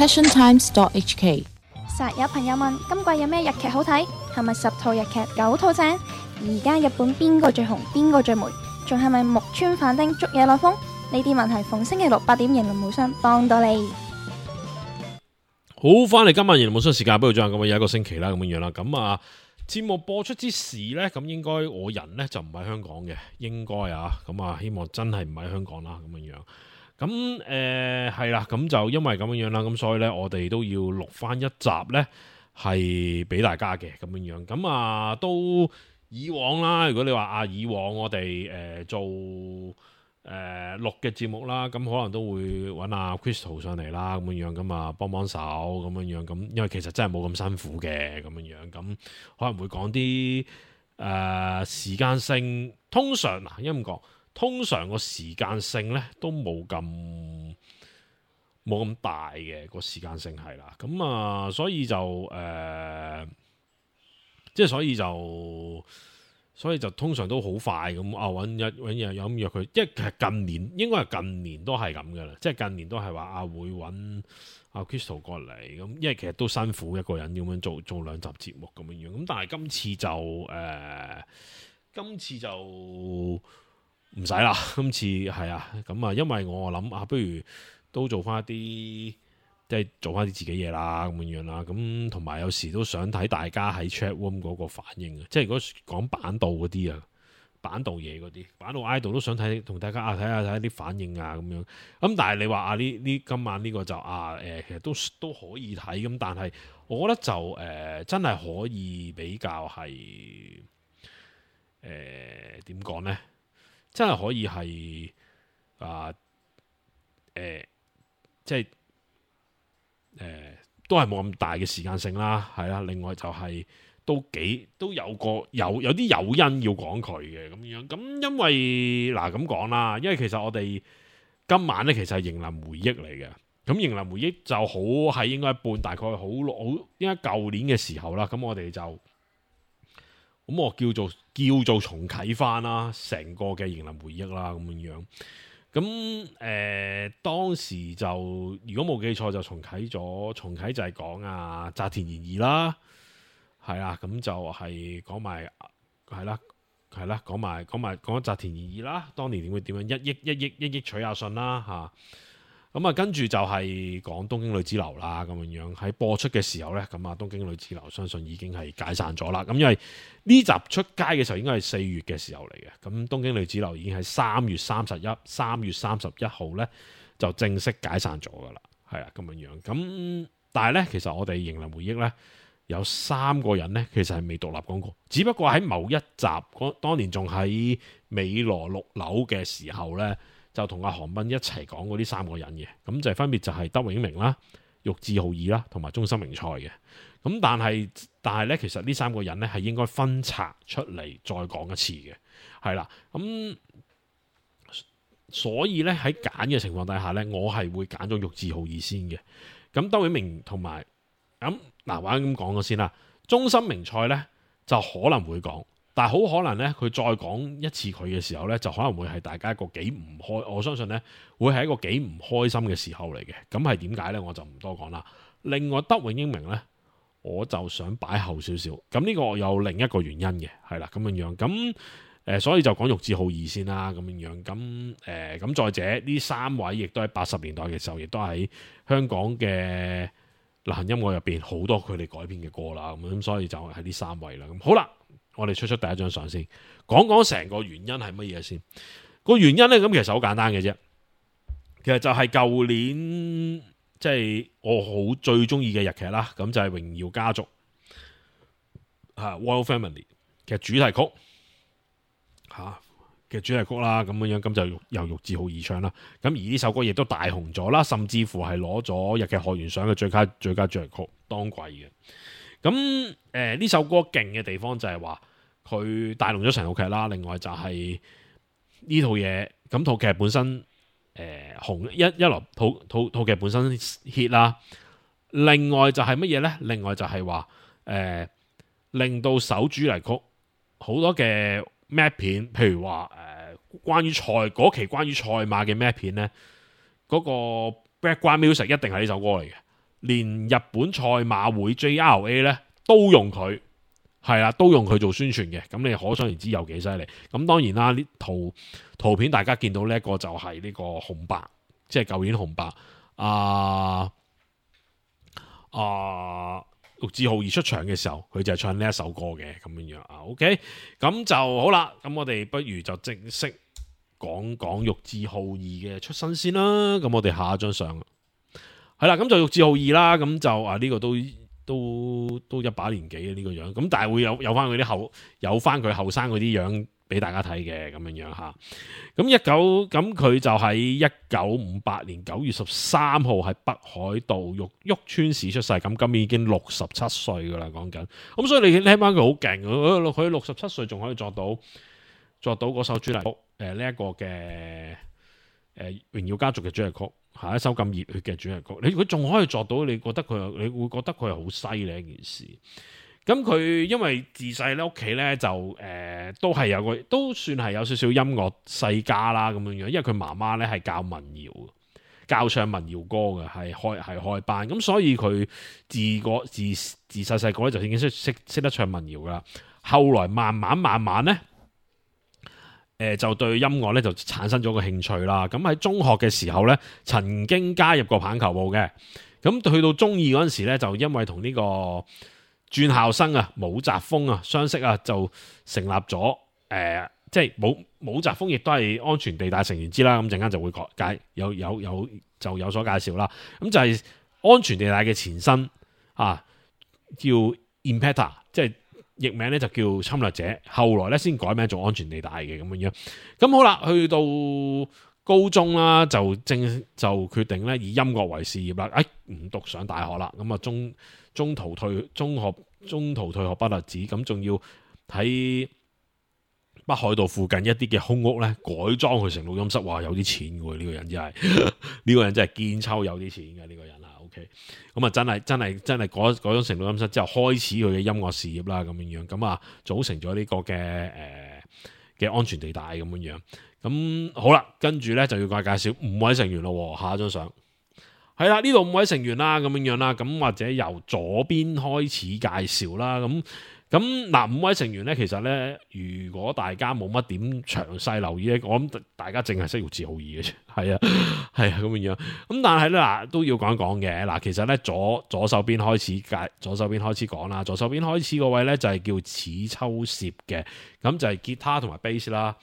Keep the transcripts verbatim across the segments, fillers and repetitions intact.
passion times dot h k。 實有朋友問今季有咩日劇好睇，係咪十套日劇九套正？而家日本邊個最紅，邊個最霉？仲係咪木村反町捉嘢來風？呢啲問題逢星期六八點，迎龍無雙幫到你。好，翻嚟今晚迎龍無雙時間，不如再咁啊，有一個星期啦，咁樣樣啦。咁啊，節目播出之時呢，咁應該我人呢就唔喺香港嘅，應該啊，咁啊，希望真係唔喺香港啦，咁樣樣。咁誒係啦，咁就因為咁樣樣啦，咁所以呢，我哋都要錄翻一集呢，係俾大家嘅咁樣樣。咁啊，都以往啦，如果你話啊，以往我哋誒、呃、做誒、呃、錄嘅節目啦，咁可能都會揾阿 Crystal 上嚟啦，咁樣樣咁啊，幫幫手咁樣樣。咁因為其實真係冇咁辛苦嘅咁樣樣，咁可能會講啲誒時間性，通常嗱，因為咁講。通常個時間性咧都冇咁冇咁大嘅個時間性係啦，咁啊所以就誒、呃，即係所以就所以就通常都好快咁啊揾日揾日有咁約佢，因為其實近年應該係近年都係咁嘅啦，即係近年都係話啊會揾阿 Crystal 過嚟咁，因為其實都辛苦一個人咁樣做做兩集節目咁樣樣，咁但係今次就誒、呃，今次就。唔使啦，今次係啊，咁啊，因為我諗啊，不如都做翻一啲，即係做翻啲自己嘢啦，咁樣樣啦，咁同埋有時都想睇大家喺 chat room 嗰個反應啊，即係如果講板道嗰啲啊，板道嘢嗰啲，板道 idol 都想睇，同大家啊睇下睇下啲反應啊咁樣，咁但係你話啊呢呢今晚呢個就啊誒、呃，其實都都可以睇，咁但係我覺得就誒、呃、真係可以比較係誒點講咧？真係可以係啊，誒、呃，即係誒、呃，都係冇咁大嘅時間性啦，係啦。另外就係、是、都幾都有個有有啲誘因要講佢嘅咁樣。咁因為嗱咁講啦，因為其實我哋今晚咧其實係迎林回憶嚟嘅。咁迎林回憶就好係應該半大概好好應該舊年嘅時候啦。咁我哋就。咁我叫做叫做重啟翻啦，成個嘅迎林回憶啦，咁樣樣。咁誒、呃、當時就如果冇記錯就重啟咗，重啟就係講啊澤田研二啦，係啊，咁就係講埋係啦，係啦，講埋講埋講澤田研二啦，當年點會點樣一億一億一億取阿信啦嚇。咁啊，跟住就係講東京女子樓啦，咁樣樣喺播出嘅時候呢，咁啊東京女子樓相信已經係解散咗啦。咁因為呢集出街嘅時候應該係四月嘅時候嚟嘅，咁東京女子樓已經係三月三十一、三月三十一號呢就正式解散咗噶啦，係啊咁樣樣。咁但係呢，其實我哋迎林回憶呢，有三個人呢，其實係未獨立講過，只不過喺某一集當年仲喺美羅六樓嘅時候呢。就同阿韓斌一齊講嗰啲三個人嘅，咁就分別就係德永明啦、玉置浩二啦，同埋中森明菜嘅。咁但係但係咧，其實呢三個人咧係應該分拆出嚟再講一次嘅，係啦。咁所以咧喺揀嘅情況底下咧，我係會揀咗玉置浩二先嘅。咁德永明同埋咁嗱，話咁講咗先啦。中森明菜咧就可能會講。但係好可能咧，佢再講一次佢嘅時候咧，就可能會係大家一個幾唔開，我相信咧會係一個幾唔開心嘅時候嚟嘅。咁係點解咧？我就唔多講啦。另外德永英明咧，我就想擺後少少。咁呢個有另一個原因嘅，係啦咁樣樣。咁誒、呃，所以就講玉置浩二先啦，咁樣樣。咁誒，咁、呃、再者呢三位亦都喺八十年代嘅時候，亦都喺香港嘅流行音樂入邊好多佢哋改編嘅歌啦。咁咁，所以就係呢三位啦。咁好啦。我哋出出第一張相先，講講成個原因係乜嘢先？個原因呢，咁其實好簡單嘅啫。其實就係舊年即係、就是、我好最中意嘅日劇啦，咁就係、是《榮耀家族》吓 Royal Family 嘅主題曲吓嘅主題曲啦，咁樣樣咁就由玉置浩二唱啦。咁而呢首歌亦都大紅咗啦，甚至乎係攞咗日劇學園賞嘅最佳最佳主題曲當季嘅。咁誒呢首歌勁嘅地方就係話佢帶動咗成套劇啦，另外就係呢套嘢咁套劇本身誒、呃、紅一一來套套套劇本身 hit 啦，另外就係乜嘢咧？另外就係話誒令到首主題曲好多嘅 map 片，譬如話誒、呃、關於賽嗰期關於賽馬嘅 map 片咧，嗰、那個 background music 一定係呢首歌嚟嘅。連日本賽馬會 J R A 咧都用佢，係啦，都用佢做宣傳嘅。咁你可想而知有幾犀利。咁當然啦，呢圖圖片大家見到呢一個就係呢個紅白，即係舊年紅白啊啊，陸志浩二出場嘅時候，佢就係唱呢一首歌嘅咁樣樣啊。OK，咁就好啦。咁我哋不如就正式講講陸志浩二嘅出身先啦。咁我哋下一張相係啦，咁就陸志浩二啦。咁就啊呢、這個都都都一把年紀嘅呢個樣。咁但係會有有翻佢啲後有翻佢後生嗰啲樣俾大家睇嘅咁樣樣吓。咁一九咁佢就喺一九五八年九月十三號喺北海道玉旭川市出世。咁今年已經六十七歲噶啦，講緊。咁所以你聽翻佢好勁，佢六十七歲仲可以作到作到嗰首主題曲，誒呢一個嘅誒榮耀家族嘅主題曲，下一首咁熱血嘅主題曲，你佢仲可以作到，你覺得佢，你會覺得佢係好犀利一件事。咁佢因為自細咧屋企咧就誒、呃、都係有個都算係有少少音樂世家啦咁樣樣，因為佢媽媽咧係教民謠，教唱民謠歌嘅，係開係開班，咁所以佢自個自自細細個咧就已經識識識得唱民謠噶啦。後來慢慢慢慢咧，誒、呃、就對音樂咧就產生咗個興趣啦。咁喺中學嘅時候咧，曾經加入過棒球部嘅。咁去到中二嗰陣時咧，就因為同呢、這個轉校生啊，武澤鋒啊，相識啊，就成立咗誒、呃，即係武武澤鋒亦都係安全地帶成員之啦。咁陣間就會介有有有就有所介紹啦。咁就係安全地帶嘅前身啊，叫 Impactor， 即係譯名咧就叫侵略者。後來咧先改名做安全地帶嘅咁樣樣。咁好啦，去到高中啦，就正就決定咧以音樂為事業啦。誒、哎，唔讀上大學啦，咁啊中。中途退中學，中途退學不特止，咁仲要喺北海道附近一啲嘅空屋咧改裝佢成錄音室。哇，有啲錢嘅喎，呢個人真係呢個人真係堅抽有啲錢嘅呢個人啊。OK，咁啊真係真係真係改改裝成錄音室之後，開始佢嘅音樂事業啦咁樣樣。咁啊組成咗呢個嘅誒嘅安全地帶咁樣樣。咁好啦，跟住咧就要介介紹五位成員咯。下一張相。係啦，呢度五位成員啦，咁樣樣啦，咁或者由左邊開始介紹啦，咁咁嗱五位成員咧，其實咧，如果大家冇乜點詳細留意咧，我諗大家淨係識陸志浩二嘅啫，係啊，係啊，咁樣樣，咁但係咧嗱都要講一講嘅，嗱其實咧左左手邊開始介，左手邊開始講啦，左手邊開始嗰位咧就係叫矢秋攝嘅，咁就係吉他同埋 bass 啦，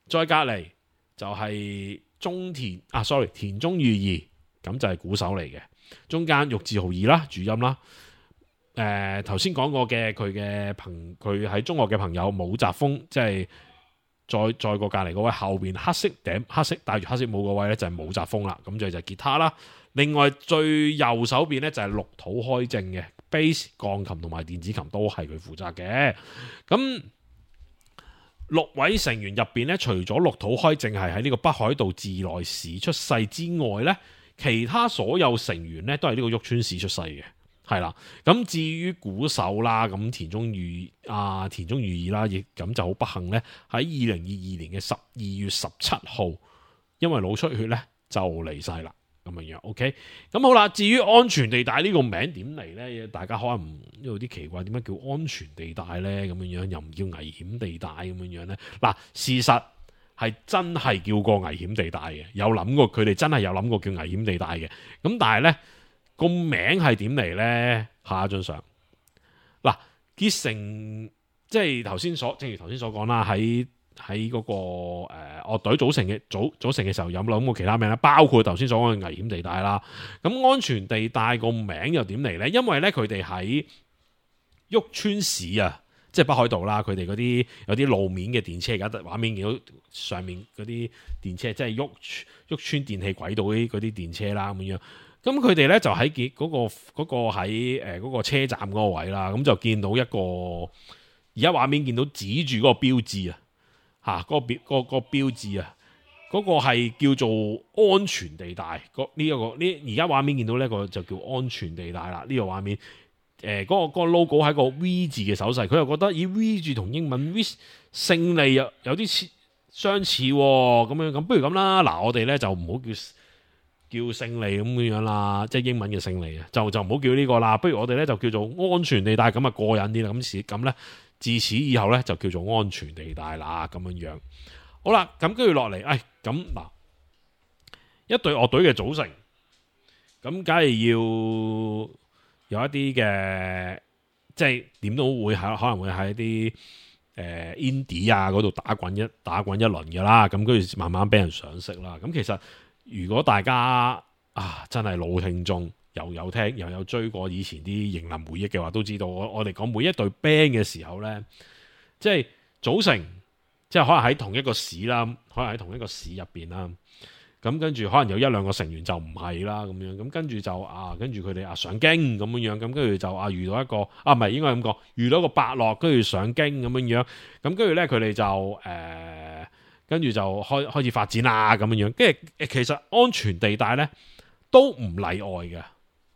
再隔籬就係中田啊 ，sorry 田中裕二。咁就係鼓手嚟嘅，中間陸志浩二啦，主音啦。誒頭先講過嘅佢嘅朋，佢喺中學嘅朋友武澤鋒，即係再再過隔離嗰位後邊黑色頂黑色戴住黑色帽嗰位咧就係武澤鋒啦。咁就就係吉他啦。另外最右手邊咧就係綠土開正嘅 bass、鋼琴同埋電子琴都係佢負責嘅。咁六位成員入邊咧，除咗綠土開正係喺呢個北海道自來市出世之外咧，其他所有成員咧都係呢個旭川市出世嘅，係啦。咁至於鼓手啦，咁田中裕啊田中裕二啦，亦咁就好不幸咧，喺二零二二年嘅十二月十七號，因為腦出血咧就離世啦。咁樣樣 OK。咁好啦，至於安全地帶呢個名點嚟咧？大家可能唔有啲奇怪，點解叫安全地帶咧？咁樣樣又唔叫危險地帶咁樣樣咧？嗱，事實係真係叫過危險地帶嘅，有諗過佢哋真係有諗過叫危險地帶嘅。咁但係咧個名係點嚟咧？下一張相嗱，結成即係頭先所，正如頭先所講啦，喺喺嗰個誒樂隊組成嘅組組成嘅時候，有冇諗過其他名咧？包括頭先所講嘅危險地帶啦。咁安全地帶個名又點嚟咧？因為咧佢哋喺旭川市啊。即係北海道啦，佢哋嗰啲有啲路面嘅電車，而家畫面見到上面嗰啲電車，即係旭旭川電氣軌道嗰啲電車啦咁樣。咁佢哋咧就喺嗰、嗰個嗰、嗰個喺誒嗰個車站嗰個位啦，咁就見到一個而家畫面見到指住嗰個標誌啊，嚇、嗰、嗰個標嗰、嗰個標誌啊，嗰、嗰個係叫做安全地帶。呢一個呢而家畫面見到呢個就叫安全地帶啦。呢、呢個畫面。誒、呃，嗰、那個、那個 logo 係個 V 字嘅手勢，佢又覺得以 V 字同英文 V 勝利有有啲似相似咁樣，咁不如咁啦，嗱我哋咧就唔好叫叫勝利咁樣啦，即係英文嘅勝利啊，就就唔好叫呢個啦，不如我哋咧就叫做安全地帶，咁啊過癮啲啦，咁是咁咧，自此以後咧就叫做安全地帶啦，咁樣樣。好啦，咁跟住落嚟，誒咁嗱，一隊樂隊嘅組成，咁梗係要有一啲嘅，即係點都會喺可能會喺啲誒 indie 啊嗰度打滾一打滾一輪嘅啦，咁跟住慢慢俾人賞識啦。咁其實如果大家啊真係老聽眾，又有聽又有追過以前啲迎林回憶嘅話，都知道我我哋講每一隊 band 嘅時候咧，即係組成，即係可能喺同一個市啦，可能喺同一個市入邊啦。咁跟住可能有一兩個成員就唔係啦，咁樣咁跟住就啊，跟住佢哋啊上京咁樣樣，咁跟住就啊遇到一個啊唔係應該咁講，遇到一個伯樂，跟住上京咁樣樣，咁跟住咧佢哋就誒。呃跟住就開開始發展啦，咁樣樣，跟住其實安全地帶咧都唔例外嘅，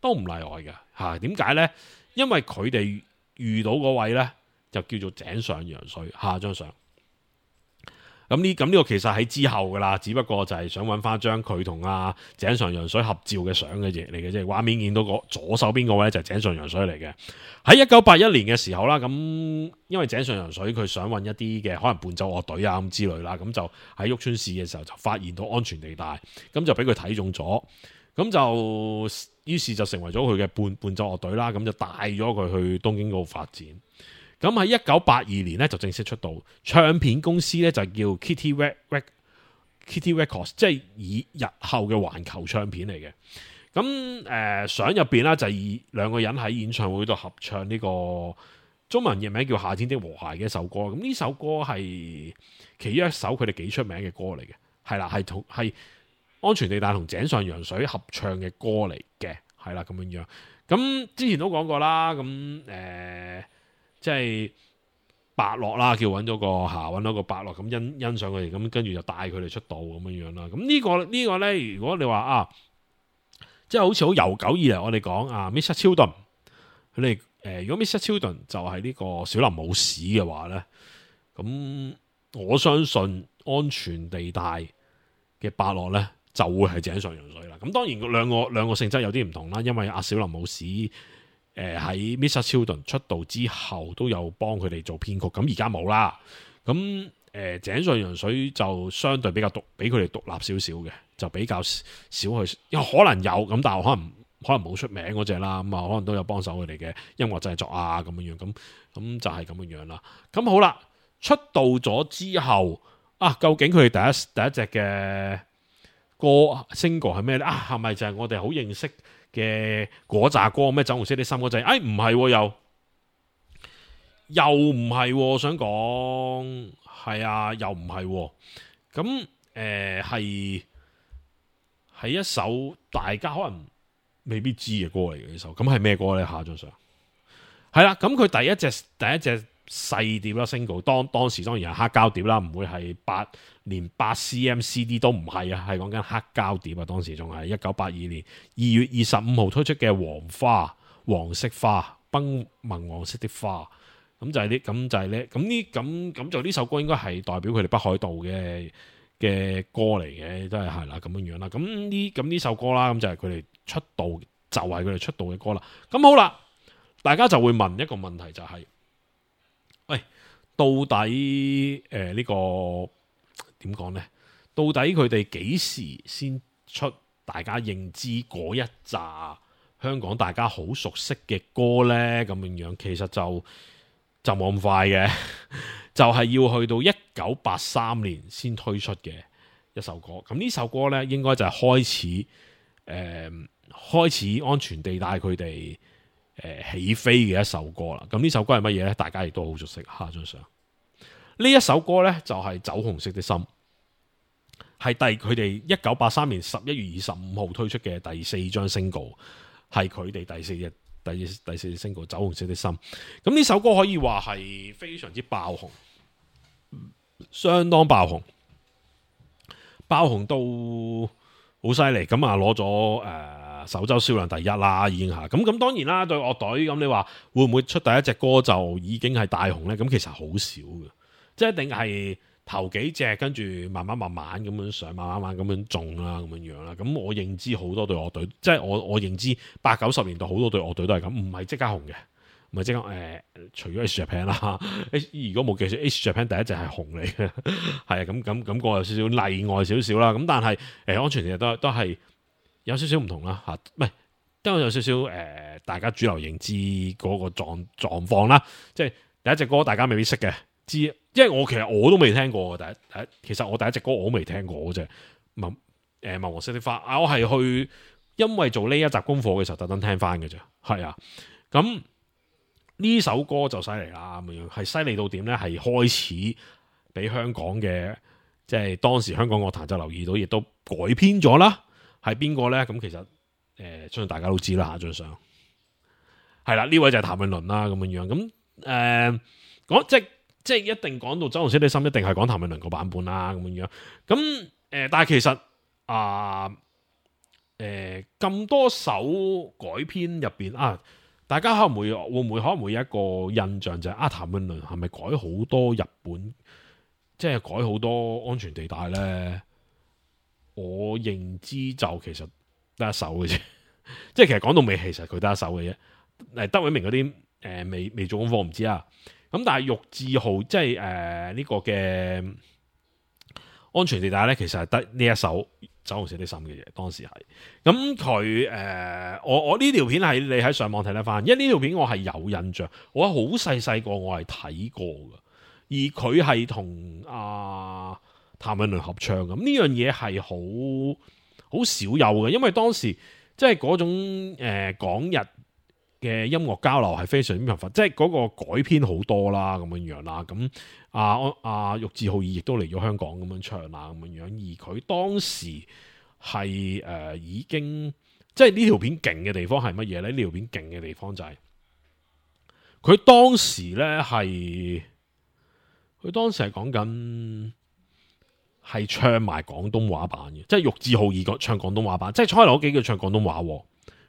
都唔例外嘅嚇。點解咧？因為佢哋遇到嗰位咧就叫做井上陽水，下張相。咁呢咁呢個其實喺之後噶啦，只不過就係想揾翻張佢同阿井上陽水合照嘅相嘅嘢嚟嘅啫。畫面見到個左手邊個位就係井上陽水嚟嘅。喺一九八一年嘅時候啦，咁因為井上陽水佢想揾一啲嘅可能伴奏樂隊啊咁之類啦，咁就喺旭川市嘅時候就發現到安全地帶，咁就俾佢睇中咗，咁就於是就成為咗佢嘅伴伴奏樂隊啦，咁就帶咗佢去東京嗰度發展。咁喺一九八二年咧就正式出道，唱片公司咧就叫 Kitty Rec Kitty Records， 即係以日後嘅環球唱片嚟嘅。咁誒相入邊啦就係以兩個人喺演唱會度合唱呢個中文譯名叫《夏天的和諧》嘅一首歌。咁呢首歌係其中一首佢哋幾出名嘅歌嚟嘅，係啦，係同係安全地帶同井上陽水合唱嘅歌嚟嘅，係啦咁樣樣。咁之前都講過啦，咁誒。呃即係伯樂啦，叫揾咗個下揾到個伯樂咁欣欣賞佢哋，咁跟住就帶佢哋出道咁樣樣啦。咁呢個呢個咧，如果你話啊，即係好似好悠久以嚟，我哋講啊 Mister Children， 佢哋誒，如果 Mister Children 就係呢個小林武史嘅話咧，咁我相信安全地帶嘅伯樂咧就會係井上陽水啦。咁當然兩個兩個性質有啲唔同啦，因為阿小林武史。誒喺 Mister Children 出道之後都有幫佢哋做編曲，咁而家冇啦。咁誒、呃、井上陽水就相對比較獨，比佢哋獨立少少嘅，就比較少去，因為可能有咁，但係可能可能冇出名嗰隻啦。咁啊，可能都有幫手佢哋嘅音樂製作啊，咁樣樣咁咁就係咁樣樣啦。咁好啦，出道咗之後啊，究竟佢哋第一第一隻嘅歌 single 係咩咧？啊，係咪就係我哋好認識嘅嗰扎歌咩？酒紅色的心嗰陣，哎唔係又又唔係，我想講係啊，又唔係咁誒，係係一首大家可能未必知嘅歌嚟嘅呢首。咁係咩歌咧？下張相係啦，咁佢第一隻第一隻細碟啦 single， 當當時當然係黑膠碟啦，唔會係八連八 cm C D 都唔係啊，係講緊黑膠碟啊。當時仲係一九八二年二月二十五號推出嘅《黃花》，黃色花，崩紋黃色的花，咁就係呢，咁就係呢，咁呢，咁咁就呢首歌應該係代表佢哋北海道嘅嘅歌嚟嘅，都係係啦咁樣樣啦。咁呢咁呢首歌啦，咁就係佢哋出道，就係佢哋出道嘅歌啦。咁好啦，大家就會問一個問題就係、是。喂，到底誒、呃這個、呢個點講呢？到底佢哋幾時先出大家認知嗰一紮香港大家好熟悉嘅歌呢？咁樣樣其實就就冇咁快嘅，就係要去到一九八三年先推出嘅一首歌。咁呢首歌呢，應該就係開始誒、呃、開始安全地帶佢哋。誒起飛嘅一首歌啦，咁呢首歌係乜嘢呢？大家亦都好熟悉。下張相呢一首歌呢，就係、是《酒紅色的心》，係第佢哋一九八三年十一月二十五號推出嘅第四張 single， 係佢哋第四隻第第四隻 single《酒紅色的心》。咁呢首歌可以話係非常之爆紅，相當爆紅，爆紅到好犀利。咁啊攞咗誒。呃首周銷量第一啦，已經嚇咁咁。當然啦，對樂隊咁，你話會唔會出第一隻歌就已經係大紅呢？咁其實好少嘅，即係一定係頭幾隻，跟住慢慢慢慢咁樣上，慢慢慢咁樣中啦，咁樣樣啦。咁我認知好多隊樂隊，即係我我認知八九十年代好多隊樂隊都係咁，唔係即刻紅嘅，唔係即刻誒、呃，除咗 X Japan 啦，如果冇記錯 X Japan 第一隻係紅嚟嘅，係啊，咁咁咁個有少少例外少少啦。咁但係誒、呃、安全其實都都係有少少唔同啦嚇，唔係都有少少誒、呃，大家主流認知嗰個狀狀況啦，即係第一隻歌大家未必識嘅。知，因為我其實我都未聽過嘅第一第一，其實我第一隻歌我都未聽過嗰隻《文誒文黃色的花》啊，我係去因為做呢一集功課嘅時候特登聽翻嘅啫，係啊，咁呢首歌就犀利啦，咁樣係犀利到點咧？係開始俾香港嘅即係當時香港樂壇就留意到，亦都改編咗啦。係邊個咧？咁其實誒、呃，相信大家都知啦，下張相係啦，呢位就係譚詠麟啦，咁樣樣咁誒講即係。即係一定講到酒紅色的心，一定係講譚詠麟個版本啦，咁樣樣。咁誒、呃，但係其實啊，誒、呃、咁多首改編入邊啊，大家可能會會唔會可能會有一個印象就係、是、啊，譚詠麟係咪改好多日本，即係改好多安全地帶咧？我認知就其實得一首嘅啫，即係其實講到尾，其實佢得一首嘅啫。誒，德永明嗰啲誒未未做功課，唔知啊。咁但係玉置浩即係誒呢個嘅安全地帶咧，其實係得呢一首酒紅色的心嘅嘢，當時係咁佢誒我我呢條片係你喺上網睇得翻，因為呢條片我係有印象，我好細細個我係睇過嘅，而佢係同阿譚詠麟合唱咁，呢樣嘢係好好少有嘅，因為當時即係嗰種誒、呃、港日嘅音樂交流係非常之頻繁，即係嗰個改編好多啦，咁樣樣啦。咁阿阿玉置浩二亦都嚟咗香港咁樣唱啦，咁樣樣。而佢當時係誒、呃、已經，即係呢條片勁嘅地方係乜嘢咧？呢條片勁嘅地方就係、是、佢當時咧係，佢當時係講緊係唱埋廣東話版嘅，即係玉置浩二個唱廣東話版，即係初頭嗰幾句唱廣東話，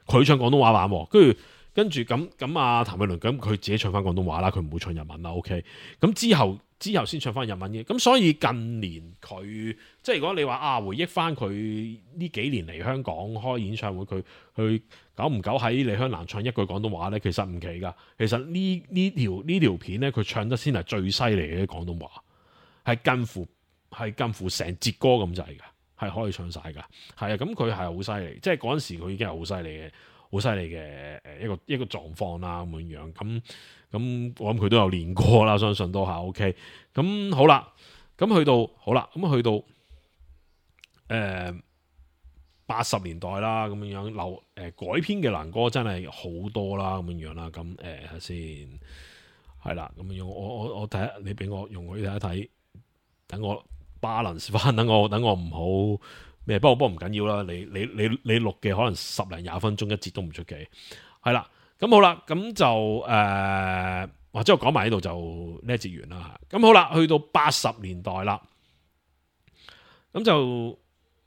佢唱廣東話版，跟住。跟住咁咁啊，譚詠麟咁佢自己唱翻廣東話啦，佢唔會唱日文啦。OK，咁之後之後先唱翻日文嘅。咁所以近年佢即係如果你話啊，回憶翻佢呢幾年嚟香港開演唱會，佢佢久唔久喺李香蘭唱一句廣東話咧，其實唔奇噶。其實呢呢條呢條片咧，佢唱得先係最犀利嘅廣東話，係近乎係近乎成節歌咁滯嘅，係可以唱晒噶。係啊，咁佢係好犀利，即係嗰陣時佢已經係好犀利嘅。好犀利嘅誒一個一個狀況啦，咁樣樣咁咁，我諗佢都有練過啦，相信都係 OK。咁好啦，咁去到好啦，咁去到誒八十年代啦，咁樣樣流誒、呃、改編嘅男歌真係好多啦，咁樣樣啦。咁誒睇先係啦，咁樣樣我我我睇下，你俾我用佢睇一睇，等我 balance 翻，等我等我唔好。咩？不過不過唔緊要啦，你你你你錄嘅可能十零廿分鐘一節都唔出奇，係啦，咁好啦，咁就誒，或者我講埋呢度就呢一節完啦。咁好啦，去到八十年代啦，咁就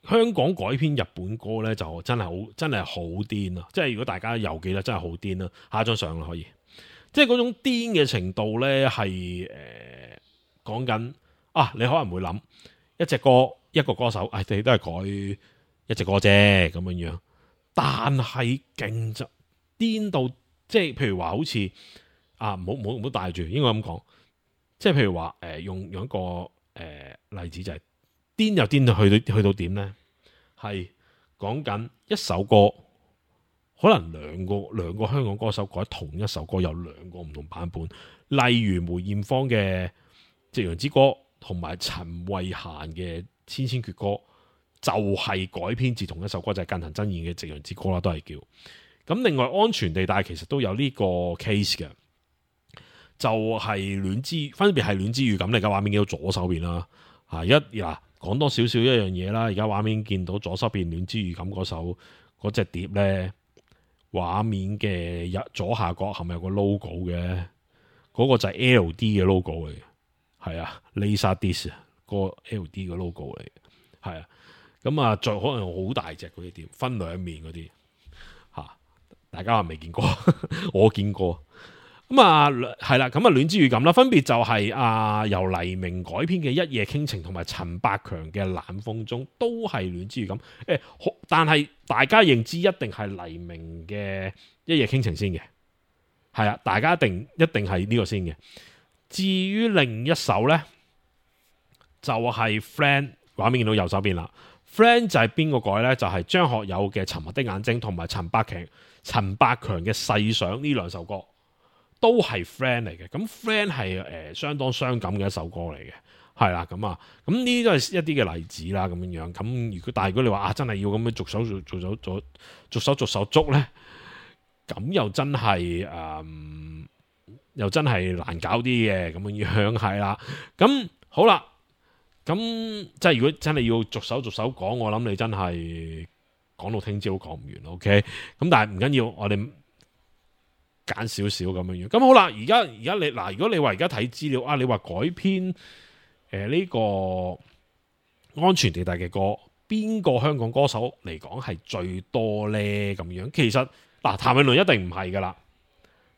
香港改編日本歌咧，就真係好真係好癲啊！即係如果大家又記得，真係好癲啦。下一張相啦，可以，即係嗰種癲嘅程度咧，係誒講緊啊，你可能會諗一隻歌。一個歌手，誒、哎，你都係改一隻歌啫，咁樣樣。但係勁就癲到，即係譬如話好似啊，唔好唔好唔好帶住，應該咁講。即係譬如話，誒、呃，用用一個誒、呃、例子就係、是、癲又癲到去到去到點咧？係講緊一首歌，可能兩個兩個香港歌手改同一首歌，有兩個唔同版本。例如梅艷芳嘅《夕陽之歌》，同埋陳慧嫻嘅。千千闕歌就係、是、改編自同一首歌，就係、是、近藤真彥嘅《夕陽之歌》啦，都係叫咁。另外安全地帶其實都有呢個 case 嘅，就係戀之分別係戀之預感。你而家畫面見到左手邊啦，啊一嗱講多少少一樣嘢啦。而家畫面見到左手邊戀之預感嗰首嗰隻碟咧，畫面嘅左下角係咪有個 logo 嘅？嗰、那個就係 L D 嘅 logo 嚟嘅，係啊 Laserdisc。個 L D 嘅 logo 嚟嘅，係啊，咁啊，再可能好大隻嗰啲碟，分兩面嗰啲吓，大家話未見過，我見過，咁啊係啦，咁啊戀之預感啦，分別就係、是、啊由黎明改編嘅《一夜傾情》同埋陳百強嘅《冷風中》，都係戀之預感。誒、欸，但係大家認知一定係黎明嘅《一夜傾情》先嘅，係啊，大家一定一定係呢個先嘅。至於另一首呢，就係、是、Friend， 畫面見到右手邊啦。Friend 就係邊個改呢？就係、是、張學友嘅《沉默的眼睛》同埋陳百強陳百強嘅《細想》呢兩首歌。都係 friend 嚟嘅，咁 friend 係誒、呃、相當傷感嘅一首歌嚟嘅，係啦，咁啊，咁呢啲都係一啲嘅例子啦，咁樣樣，咁如果但係如果你話啊真係要咁樣逐手逐逐手逐逐手逐手捉咧，咁又真係誒、嗯，又真係難搞啲嘅，咁樣樣係啦，咁好啦，咁即係如果真係要逐手逐手講，我諗你真係講到聽朝都講唔完 ，OK，咁但係唔緊要，我哋。揀少少咁樣樣，咁好啦。而家而家你嗱，如果你話而家睇資料啊，你話改編誒呢、呃這個安全地帶嘅歌，邊個香港歌手嚟講係最多咧？咁樣其實嗱，譚詠麟一定唔係噶啦，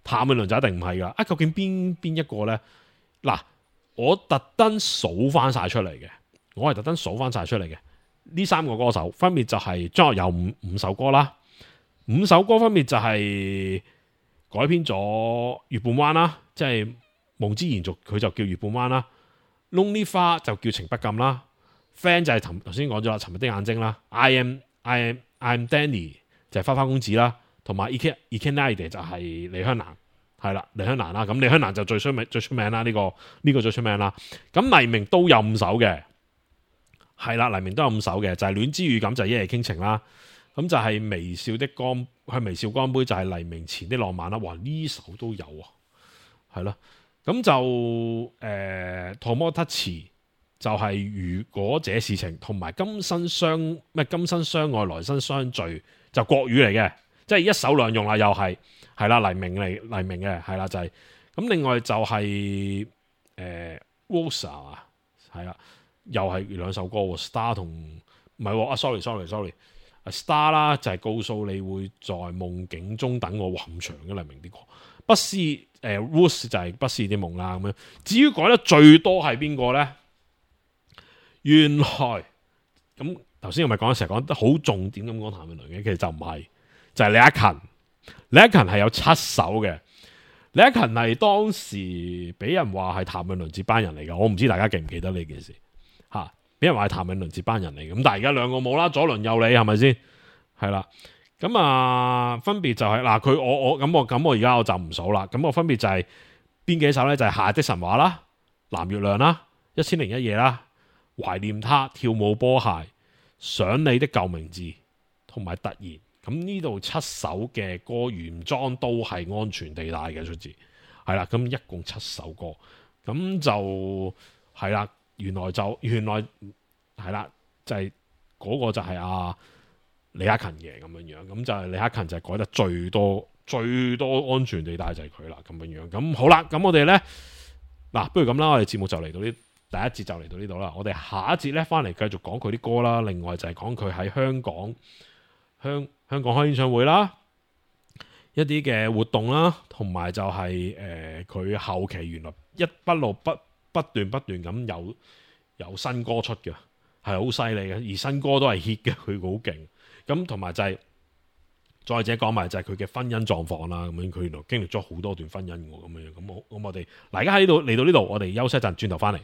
譚詠麟就一定唔係噶。啊，究竟邊邊一個咧？嗱，我特登數翻晒出嚟嘅，我係特登數翻晒出嚟嘅。呢三個歌手分別就係張學友五五首歌啦，五首歌分別就係、是。改編咗《月半彎》啦，即係夢之延續，佢就叫《月半彎》啦。Lonely 花就叫情不禁啦。Friend 就係頭先講咗啦，沉默的眼睛啦。I am I am I am Danny 就係花花公子啦，同埋 Ike Ikenide 就係李香蘭，係啦，李香蘭啦。咁李香蘭就最出名最出名啦，呢、這個呢、這個最出名啦。咁黎明都有五首嘅，係啦，黎明都有五首嘅，就係、是、戀之預感，就係、是、一夜傾情啦。咁就係微笑的光，係微笑光杯，就係黎明前的浪漫啦。哇，呢首都有啊，係咯。咁就誒，托摩特詞就係如果這事情，同埋今生相咩今生相愛，來生相聚，就國語嚟嘅，即係一首兩用啦，又係係啦，黎明嚟黎明嘅係啦，就係、是、咁。另外就係誒 Rosa 啊，係啦，又係兩首歌 ，Star 同唔係啊 ，sorry sorry sorry。Star 啦，就係告訴你會在夢境中等我，哇咁長嘅黎明啲歌。不思誒 Rose 就係不思啲夢啦咁樣。至於改得最多係邊個咧？原來咁頭先我咪講成日講得好重點咁講譚詠麟嘅，其實就唔係，就係、是、李克勤。李克勤係有七首嘅。李克勤係當時俾人話係譚詠麟接班人嚟嘅，我唔知大家記唔記得呢件事嚇。俾人話係譚詠麟接班人嚟嘅，咁但係而家兩個冇啦，左鄰右里係咪先？係啦，咁啊分別就係、是、嗱，佢我我咁我咁我而家我就唔數啦，咁我分別就係、是、邊幾首咧？就係、是《夏日的神話》啦，《藍月亮》啦，《一千零一夜》啦，《懷念他》、《跳舞波鞋》、《想你的舊名字》同埋《突然》。咁呢度七首嘅歌原裝都係安全地帶嘅出自，係啦，咁一共七首歌，咁就係啦。原來就原來係啦，就係、是、嗰個就係阿、啊、李克勤嘅咁樣樣，咁就係李克勤就係改得最多最多安全地帶就係佢啦咁樣樣。咁好啦，咁我哋咧嗱，不如咁啦，我哋節目就嚟到呢第一節就嚟到呢度啦。我哋下一節咧翻嚟繼續講佢啲歌啦。另外就係講佢喺香港香香港開演唱會啦，一啲嘅活動啦，同埋就係誒佢後期原來一不路不。不斷不斷咁有有新歌出嘅，係好犀利嘅，而新歌都係 hit 嘅，佢好勁。咁同埋就係、是、再者講埋就係佢嘅婚姻狀況啦。咁樣佢原來經歷咗好多段婚姻喎，咁樣咁我咁我哋嗱而家喺呢度嚟到呢度，我哋休息一陣，轉頭翻嚟。